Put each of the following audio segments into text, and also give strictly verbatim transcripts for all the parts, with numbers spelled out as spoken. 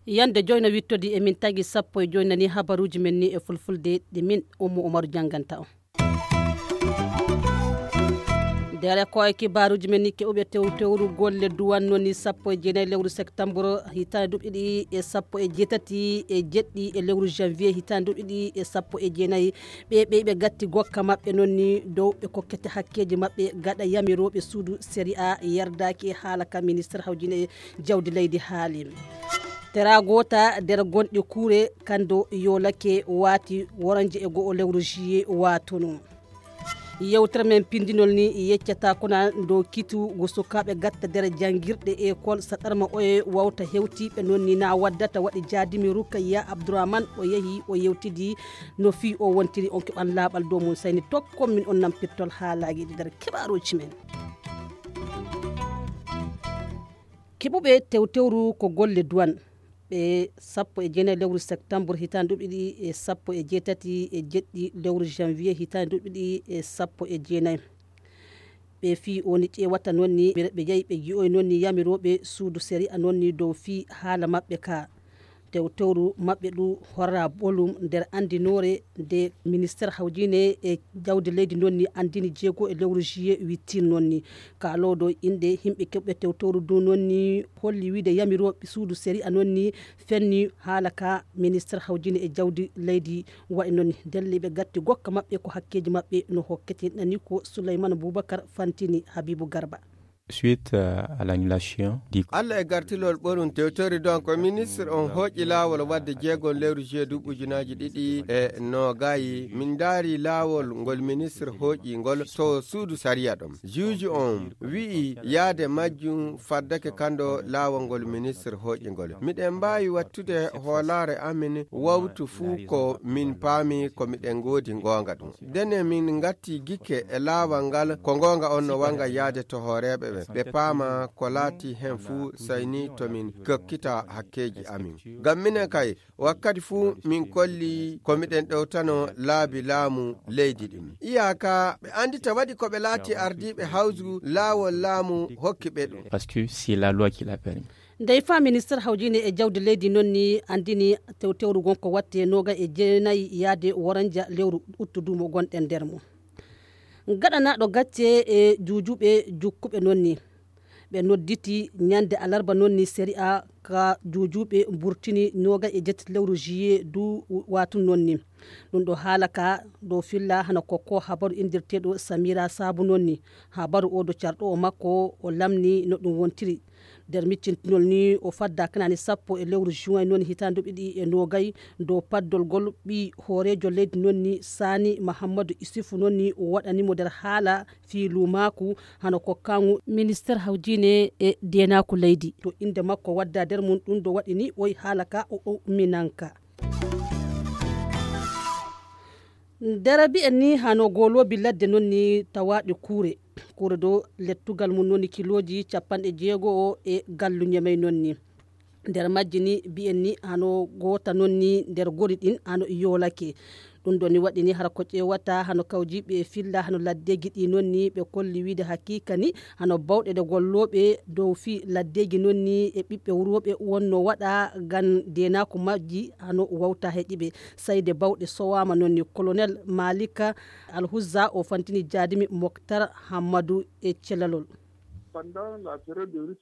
Yande joyna wittodi e min tagi sappo e joyna ni habaruji men ni e fulfulde ɗi min Ummu Umaru jannganta on. Ndere ko e kibaruji men ni keɓuɓe tew tewru golle duwan noon ni sappo e jeenayi lewru septembre hitaande duuɓi ɗiɗi e sappo e jeetati e jeɗɗi e lewru janvier hitaande duuɓi ɗiɗi e sappo e jeenayi. Ɓe ɓeyɓe gatti gokka maɓɓe noon ni dow ɓe kokkete hakkeeji maɓɓe gaɗa yamirooɓe suudu série A yerdaaki e haala ka ministre hawjine jawdi leydi haali. Tera goota nder gonɗi kuure kando yoolake waati woranje e go'o lewru juillet waatuno. Yewtere men pindinol ni yeccata kuna ndo kitu go sukaaɓe gatta nder janngirɗe ekol saɗarma oye wawta hewtiiɓe noon ni na waddata waɗi jaadimi Rukayya Abdourahmane o yehi o yewtidi no fii o wontiri on keɓan laaɓal dow mum sayni tokkon min on nampirtol haalaaji ɗi nder keɓaaruuji men. Keɓuɓe tewtewru ko golle duwan ɓe sappo e jeenayi lewru septembre hitaande duuɓi ɗiɗi e sappo e jeetati e jeɗɗi lewru janvier hitaande duuɓi ɗiɗi e sappo e jeenayi. Ɓe fii oni ƴeewata noon ni ɓe yehi ɓe ji'oy noon ni yamirooɓe suudu sariya noon ni dow fii haala maɓɓe ka tewtewru maɓɓe ɗu horra bolum nder anndinoore nde minister hawjine e jawdi leydi noon ni anndini jeego e lewru juillet wittin noon ni. Kaalooɗo innde yimɓe keɓɓe tewtewru ndu noon ni holli wiide yamirooɓe suudu sariya noon ni fenni haala ka minister hawjine e jawdi leydi waɗi noon ni. Delliiɓe gatti gokka maɓɓe ko hakkeeji maɓɓe no hokkete nani ko Souleymane Boubacar fantini Habibou Garba. Suite euh, à l'annulation du Allah e gartilol ɓorum tewtori donc ministre on hooƴi laawol wadde jeegom lewru juillet duuɓi ujunaaji ɗiɗi e noogayi. Min ndaari laawol ngol ministre hooƴi ngol to suudu sariya ɗon. Juuju on wi'i yaade majjum faddake kando laawol ngol ministre hooƴi ngol. Miɗen mbaawi wattude hoolaare amin wawtu fuu ko min paami ko miɗen ngoodi ngoonga ɗum. Dene min ngatti gikke e laawol ngal ko ngoonga on no wanga yaade to hooreeɓe ɓe. Ɓe paama ko laati hen fuu sayni to min kokkita hakkeeji amin. Ngam minen kay wakkati fuu min kolli ko miɗen ɗowtano laabi laamu leydi ɗin. Iyaka ɓe andita waɗi ko ɓe laati ardiiɓe hawju laawol laamu hokki ɓe ɗum. Parce que c'est la loi qui l'a permis. Ndey fa minister hawjine e jawdi leydi noon ni andini tewtewru gon ko watte noga e jeenayi yaade woranja lewru uttu duumo gonɗen nder mum. Gaɗanaɗo gacce e juujuɓe jukkuɓe noon ni ɓe nodditi ñande alarba noon ni sariya ka juujuɓe mburtini noga e jetti lewru juillet du watun noon ni. Ɗum ɗo haala ka ɗo filla hana kokko habaru indirteɗo samira saabu noon ni. Habaru o do carɗo o makko o lamni no ɗum wontiri. Nder miccintinol ni o fadda kanani sappo e lewru juin noon hitaande ɗiɗi e nogay dow paddol gol ɓi hooreejo leydi noon ni sani mahammadu isufu noon ni o waɗanimo nder haala fii luumaaku hano kokkangu minister hawjine e deenaaku leydi to innde makko wadda nder mum ɗum ɗo waɗi ni oy haala ka o umminanka. Nder bi'en ni hano goloobi ladde noon ni tawaaɗi kuure kuure dow lettugal mum noon ni kilooji capanɗe jeego e gallu ñemey noon ni. Nder majji ni bi'en ni hano goota noon ni nder gori ɗin hano yoolake. Ɗum ɗo ni waɗi ni hara ko ƴeewata hano kawjiiɓe e filla hano laddeeji ɗi noon ni ɓe kolli wiide hakiika ni hano bawɗe ɗe gollooɓe dow fii laddeeji noon ni e ɓiɓɓe wurooɓe wonno waɗa ngam deenaaku majji hano wawta heƴiɓe. Sayde bawɗe sowaama noon ni colonel malika alhuzza o fantini jaadimi moktar hammadu e celalol.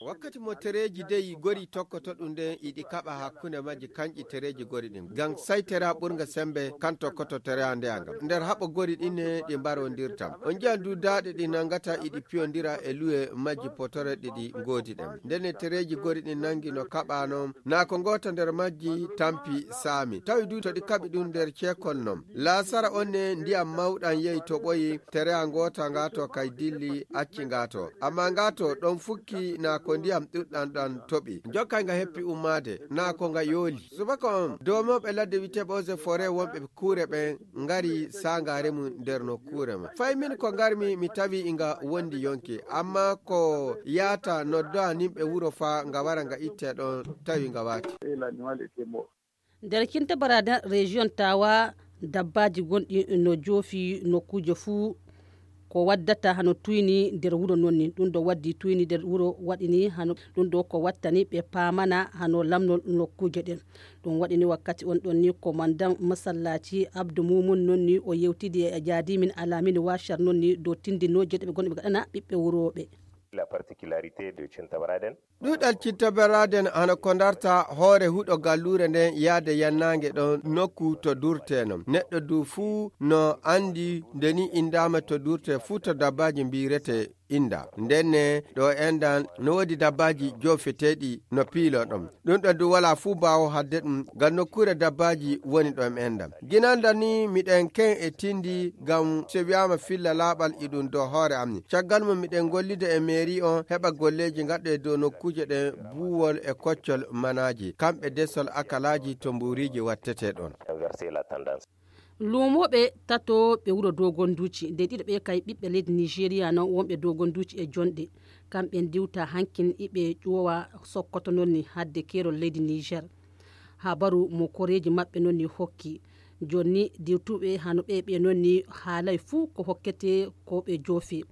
Wakkati mo tereeji dey gori tokkoto ɗum nden iɗi kaɓa hakkunde majji kanƴi tereeji gori ɗin ngam sai tera ɓurnga sembe kan tokkoto tera ndeya ngam nder haɓo gori ɗin ne ɗi mbarondirtam on njiyan du daaɗe ɗi nangata iɗi piyondira e luwe majji potore ɗiɗi ngoodi ɗen ndene tereeji gori ɗin nangi no kaɓano na ko ngota nder majji tampi saami tawi du to ɗi kaɓi ɗum nder ceekol non laasara on ne ndiyam mawɗam yehi toɓoyi tereya ngota ngato kay dilli acci ngato amma ngato ɗon fukki na ko ndiyam ɗuɗɗam ɗam toɓi jokkay nga heppi ummaade na ko nga yooli subaka on domoɓe ladde witeɓe ose fore wonɓe kuure ɓen ngari sangare mum nder nokkuure ma fay min ko ngarmi mi tawi inga wondi yonki amma ko yaata noddoa nimɓe wuro fa nga wara nga itte ɗon tawi nga waati. Nder kinta barada région tawa Dabbaaji gonɗi no joofi nokkuuje fuu, ko waddata hano tuyni nder wuro noon ni. Ɗum ɗo waddi tuyni nder wuro waɗi ni hano ɗum ɗo ko wattani ɓe paamana hano lamnol nokkuuje ɗen. Ɗum waɗi ni wakkati on ɗon ni komandan masallaaci Abdu Mumun noon ni o yewtidi e jaadimin Alamin Washar noon ni dow tindinooje ɗe ɓe gonɗi ɓe gaɗana ɓiɓɓe wurooɓe. La particularité de Cintabaraden. Ɗuɗal Cintabaraden hano ko darta hoore huɗo galluure nden yaade yannaange ɗon nokku to durtee non. Neɗɗo du fuu no anndi nde ni inndaama to durtee fuu to dabbaaji mbiirete innda. Nden ne ɗo enndan no woodi dabbaaji joofeteeɗi no piiloo ɗon. Ɗum ɗon du walaa fuu baawo hadde ɗum ngam nokkuure dabbaaji woni ɗo e enndan. Ginannda ni miɗen ken e tindi ngam so wi'aama filla laaɓal e ɗum dow hoore am ni. Caggal mum miɗen gollida e meeri on heɓa golleeji gaɗɗe dow nokkuuje ɗen buuwol e koccol manaaji. Kamɓe desol akalaaji to mbuuriiji wattete ɗon. Luumooɓe tato ɓe wuro Dogonduuci, nde ɗiɗo ɓe kay ɓiɓɓe leydi Nigeria non wonɓe Dogonduuci e jonɗe. Kamɓe ndiwta hankin iɓe ƴuwowa Sokoto non ni hadde keerol leydi Niger. Habaru mo koreeji maɓɓe non ni hokki. Jonni diwtuɓe hano ɓe ɓe non ni haalay fuu ko hokkete ko ɓe joofi.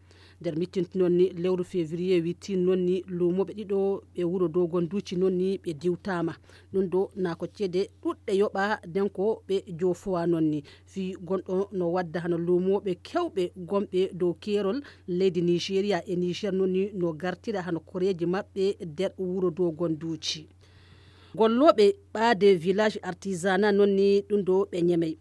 Nder mittinti non ni lewru février witti non ni luumooɓe ɗiɗo ɓe wuro Dogonduuci non ni ɓe diwtaama. Ɗum ɗo na ko ceede ɗuɗɗe yoɓa nden ko ɓe joofowa non ni. Fii gonɗo no wadda hano luumooɓe kewɓe gonɓe dow keerol leydi Nigeria e Niger non ni no gartira hano koreeji maɓɓe nder wuro Dogonduuci. Gollooɓe ɓaade village artisanat non ni ɗum ɗo ɓe ñemey.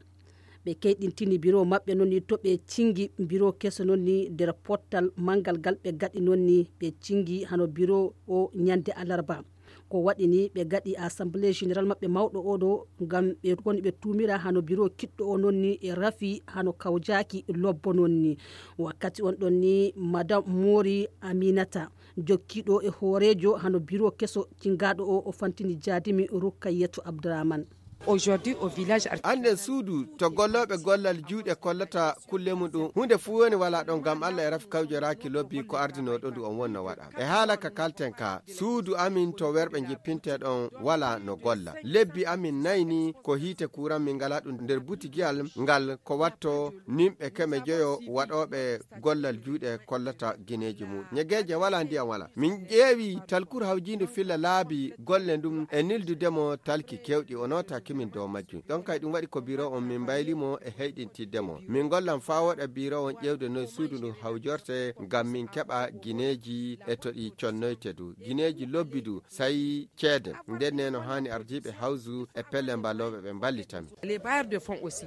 Ɓe keyɗintini biro maɓɓe non ni to ɓe cingi biro keso non ni nder pottal manngal ngal ɓe gaɗi non ni ɓe cingi hano biro o ñande alarba. Ko waɗi ni ɓe gaɗi assemblée générale maɓɓe mawɗo o ɗo ngam ɓe woni ɓe tuumira hano biro kiɗɗo o non ni e rafi hano kawjaaki lobbo non ni. Wakkati on ɗon ni madame Mori Aminata jokkiiɗo e hooreejo hano biro keso cingaaɗo o o fantini jaadimi Rukkayatu Abdurahman. Aujourd'hui au village Arti- Annden suudu to gollooɓe gollal juuɗe kollata kulle mum ɗum huunde fuu woni walaa ɗon ngam Allah e rafi kawjoraaki lobbi ko ardinooɗo ndu on wonno waɗa. E haala ka kalten ka suudu amin to werɓe njippintee ɗon walaa no golla. Lebbi amin nayi ni ko hiite kuuran min ngalaa ɗum nder butigiyal ngal ko watto nimɓe keme joyo waɗooɓe gollal juuɗe kollata gineeji mum. Ñegeeje walaa ndiyam walaa. Min ƴeewi talkur hawjiinde filla laabi golle ndum e nildude mo talki keewɗi o nootaaki min dow majjum. Ɗon kay ɗum waɗi ko biro on min mbayli mo e heyɗintidde mo. Min ngollan faa woɗa biro on ƴeewde noy suudu ndu hawjorte ngam min keɓa gineeji e to ɗi connoyte du. Gineeji lobbi du sayi ceede. Nden ne no haani ardiiɓe hawzu e pelle mbalooɓe ɓe mballita min. Les bailleurs de fonds aussi.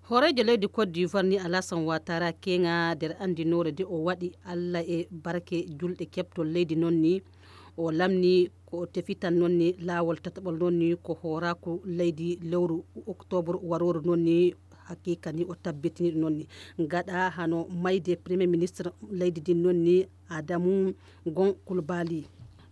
Hooreejo leydi Côte d'Ivoire ni Alassane Ouattara keŋa nder anndinoore de o waɗi Alla e barke julɗe keɓtol leydi noon ni o lamni ko o tefitan noon ni laawol tataɓol noon ni ko hooraaku leydi lewru oktoobre warooru noon ni haqiiqa ni o tabbitini ɗum noon ni gaɗa hano mayde premier ministre leydi din noon ni Adamu Gon Kulbali.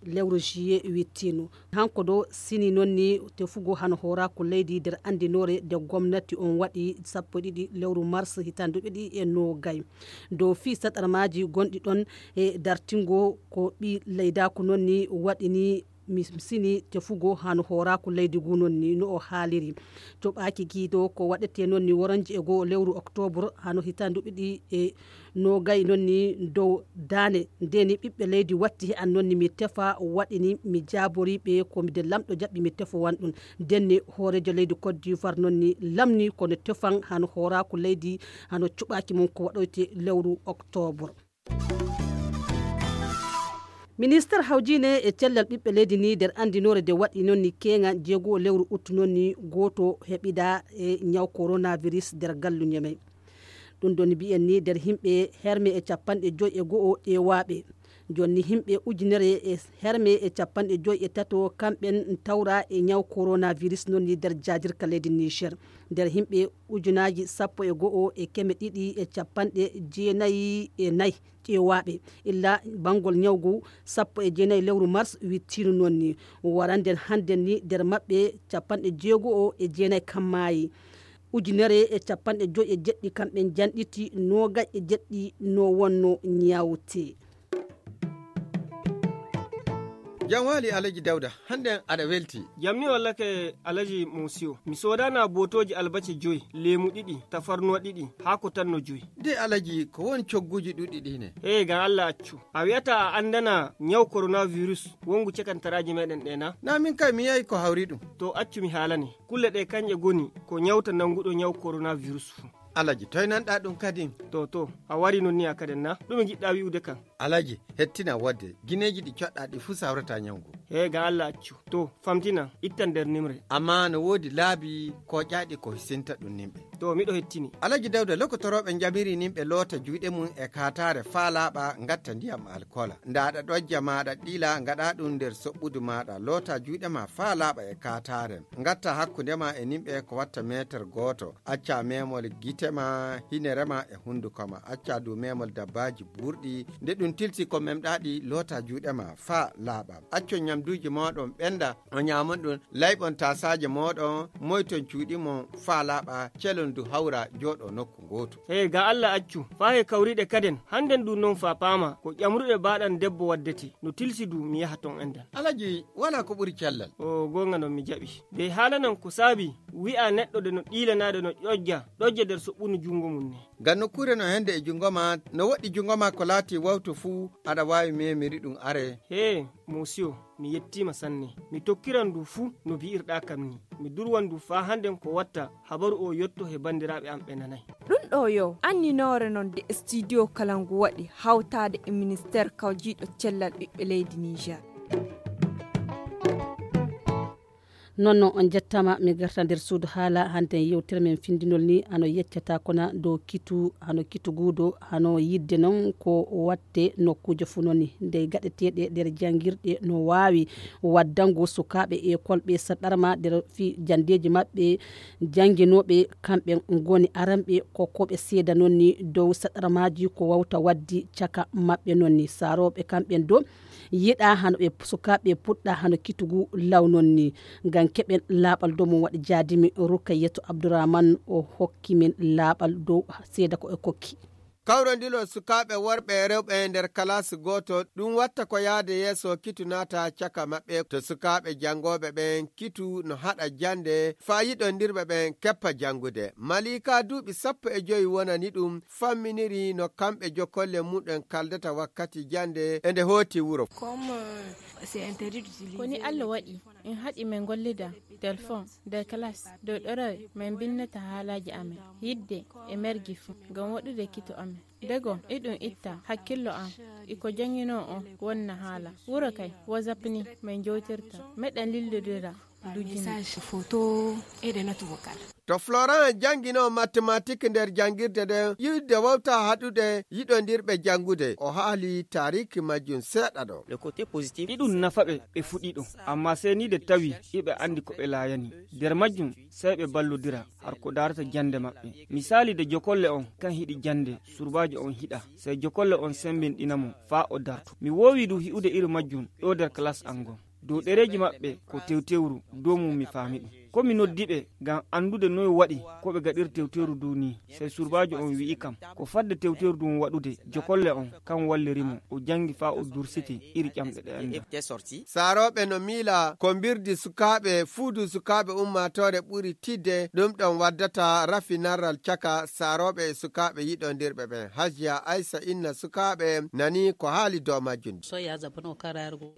Lewru juillet wittino hanko do sini noon ni tefugo hano hooraaku leydi nder anndinoore nde gomnati on waɗi sappo e ɗiɗi lewru mars hitaande ɗiɗi e noogay dow fii saɗarmaaji gonɗi ɗon e dartingo ko ɓi leydaaku noon ni waɗi ni mi sini tefugo hano hooraaku leydi ngu noon ni no o haaliri. Coɓaaki giido ko waɗetee noon ni woronje e goo lewru oktoobre hano hitaande ɗiɗi e noogay noon ni dow daane nde ni ɓiɓɓe leydi watti he an noon ni mi tefa waɗi ni mi jaabori ɓe ko mi de lamɗo jaɓɓi mi tefowan ɗum. Nden ni hooreejo leydi Côte d'Ivoire noon ni lamni kono tefan hano hooraaku leydi hano cuɓaaki mum ko waɗoyte lewru oktoobre. Minister hawjiine e cellal ɓiɓɓe leydi ni nder anndinoore nde waɗi noon ni keeŋa jeego lewru uttu noon ni gooto heɓida e ñaw coronavirus nder gallu ñemey. Ɗum ɗon mbiyen ni nder yimɓe herme e capanɗe joy e go'o ƴeewaaɓe. Jonni yimɓe ujunere e herme e capanɗe joy e tato kamɓen tawra e ñaw coronavirus noon ni nder jaajirka leydi Niger. Nder yimɓe ujunaaji sappo e go'o e keme ɗiɗi e capanɗe jeenayi e nayi ƴeewaaɓe illa banngol ñawgu sappo e jeenayi lewru mars wittino noon ni waranden hannden ni nder maɓɓe capanɗe jeego'o e jeenayi kammaayi. Ujunere e capanɗe joy e jeɗɗi kamɓe janɗiti noogay e jeɗɗi no wonno ñaawte. Jam waali Alaji Dawda, hannden aɗa welti. Jam ni wallake Alaji Musiyo. Mi soodana bootooji albace joy, leemu ɗiɗi, tafarnuwa ɗiɗi, haako tan no joy. De Alaji, ko won cogguuji ɗuɗɗi ɗi ne? Hee, ngam Allah accu. A wi'ata a anndana ñaw coronavirus wongu cakantaraaji meɗen ɗe na? Na min kay mi yahi ko hawri ɗum. To accu mi haalane. Kulle ɗe kañƴe goni ko ñawta nannguɗo ñaw coronavirus fuu. Alaji, toy nanɗa ɗum kadin? To, to, a wari non ni a kaden na? Ɗume ngiɗɗa wi'ude kan? Alaji, hettina wodde, gineeji ɗi coɗɗa ɗi fuu sawrata ñaw ngu. Hee, ngam Allah accu. To, famtina, ittan nder nimre. Amma no woodi laabi kooƴaaɗi ko hisinta ɗum nimɓe. To, miɗo hettini. Alaji Dawda, lokotorooɓe njamiri nimɓe loota juuɗe mum e kaataare faa laaɓa, ngatta ndiyam alkoola. Nda aɗa ɗojja ma aɗa ɗiila, ngaɗa ɗum nder soɓɓudu maaɗa, loota juuɗe ma faa laaɓa e kaataare. Ngatta hakkunde ma e nimɓe ko watta meetar gooto. Acca memol gite ma, hinere ma e hunduko ma. Acca du memol dabbaaji buurɗi. Nde ɗum tilsi ko memɗa ɗi, loota juuɗe ma faa laaɓa. Accon ñamduuji mooɗon ɓenda, o ñaamon ɗum. Layɓon taasaaje mooɗon, moyton cuuɗi mon faa laaɓa, celon du hawra jooɗo nokku ngootu. Hee, ga Allah accu, faa he kawriɗe kaden, hannden du non faa paama, ko ƴamruɗe baaɗan debbo waddete, no tilsi du mi yaha ton endan. Alaji, walaa ko ɓuri cellal. O goonga non mi jaɓi. De haalanan ko saabi, wi'a neɗɗo de no ɗiilanaade no ƴojja, ɗojja nder soɓɓunu junngo mum ne. Ngam nokkuure no hende e junngo ma, no woɗɗi junngo ma ko laati wawtu fuu, aɗa waawi memiri ɗum are. Hee, Mosiyo, mi yettiima sanne. Mi tokkiran ndu fuu no bi'irɗaa kam ni. Mi durwan ndu faa hannden ko watta habaru o yotto he banndiraaɓe am ɓe nanay. Ɗum ɗo yo anninoore non de studio kala ngu waɗi hawtaade e ministeer kawjiiɗo cellal ɓiɓɓe leydi Niger. Noon no on njettaama, mi garta nder suudu haala. Hannden yewtere men findinol ni hano yeccata kona dow kitu, hano kitu guudo, hano yidde noon ko watte nokkuuje fuu noon ni. Nde gaɗeteeɗe nder janngirɗe no waawi waddango sukaaɓe ekol ɓe saɗarma nder fi janndeeji maɓɓe, jannginooɓe kamɓe ngoni aranɓe kokkooɓe seeda noon ni dow saɗarmaaji ko wawta waddi caka maɓɓe noon ni. Saarooɓe kamɓen do yiɗa hano ɓe sukaaɓe puɗɗa hano kitugu law noon ni. Ngam keɓen laaɓal dow mum waɗi jaadimi Rukayetu Abdurrahman o hokki min laaɓal dow seeda ko e kokki. Kawrondiro sukaaɓe worɓe e rewɓe e nder kalaas gooto, ɗum watta ko yahde yeeso kitu naata caka maɓɓe. To sukaaɓe janngooɓe ɓen kitu no haɗa jannde, faa yiɗondirɓe ɓen keppa janngude. Malika duuɓi sappo e jowi wonani ɗum, famminiri no kamɓe jokolle muɗum kaldata wakkati jannde e nde hooti wuro. Ko ni Allah waɗi, en haɗi men gollida telefon nder kalaas dow ɗorawe men binnata haalaaji amen, yidde e mergi fuu, ngam waɗude kito amen. Dego, iɗum itta hakkillo am, iko jannginoo on wonna haala. Wuro kay, WhatsApp ni men jowtirta. Meɗen lillodira dujinde. Message, photo, et des notes vocales. To Florent jannginoo matematik nder janngirde nden, yidde wawta haɗude yiɗondirɓe janngude. O haali taariki majjum seeɗa ɗo. Le côté positif. Iɗum nafa ɓe, ɓe fuɗi ɗo. Amma sey ni de tawi iɓe anndi ko ɓe laayani. Nder majjum, sey ɓe ballodira har ko daarata jannde maɓɓe. Misaali de jokolle on kan hiɗi jannde, surbaajo on hiɗa. Sey jokolle on sembinɗina mo faa o darto. Mi woowi du hi'ude iri majjum ɗo nder kalaas an ngon. Dow ɗereeji maɓɓe ko tewtewru, dow mum mi faami ɗum. Ko mi noddi ɓe ngam anndude noy waɗi ko ɓe gaɗiri tewtewru du ni. Sey surbaajo on wi'i kam, ko fadde tewtewru dun waɗude, jokolle on kan walliri mo, o janngi faa o dursiti iri ƴamɗe ɗe annda. Saarooɓe no miila ko mbirdi sukaaɓe, fuudu sukaaɓe ummaatoore ɓuri tidde, ɗum ɗon waddata rafi narral caka saarooɓe e sukaaɓe yiɗondirɓe ɓen. Hajiya Aysa inna sukaaɓe nani ko haali dow majjum.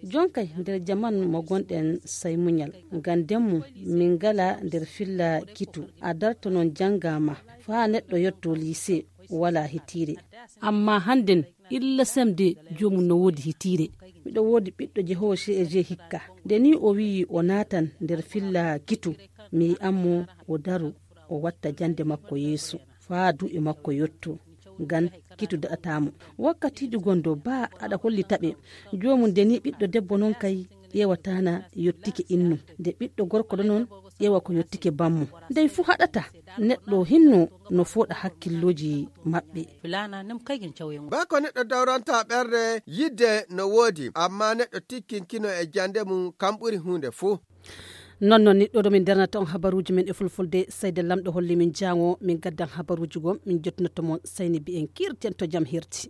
Jonkay nder jaman mo gonɗen sai muñal, ngam demmu min ngala nder filla kitu. A darto non jannga ma faa neɗɗo yotto liise, wala hitiire. Amma hannden illa semde joomum no woodi hitiire. Miɗo woodi ɓiɗɗo jehoowo C E G hikka. Nde ni o wi'i o naatan nder filla kitu, mi yi'an mo o daro, o watta jannde makko yeeso, faa duuɓi makko yotto. Ngam kitu daɗataa mo. Wakkatiiji gonɗo baa aɗa hollita ɓe. Joomum nde ni ɓiɗɗo debbo non kay ƴeewataana yottike innu. Nde ɓiɗɗo gorko ɗo non ƴeewa ko yottike bammo. Ndey fuu haɗata neɗɗo hinno no fooɗa hakkillooji maɓɓe. Baa ko neɗɗo dawranta ɓernde, yidde no woodi, amma neɗɗo tikkinkino e jannde mum, kam ɓuri huunde fuu. Non non, niɗɗo ɗo min darnata on habaruuji men e fulfulde, seyde Lamɗo holli min jaango, min gaddan habaruuji goo, min jottinotto mon, seyni mbi'en kiirten to jam hirti.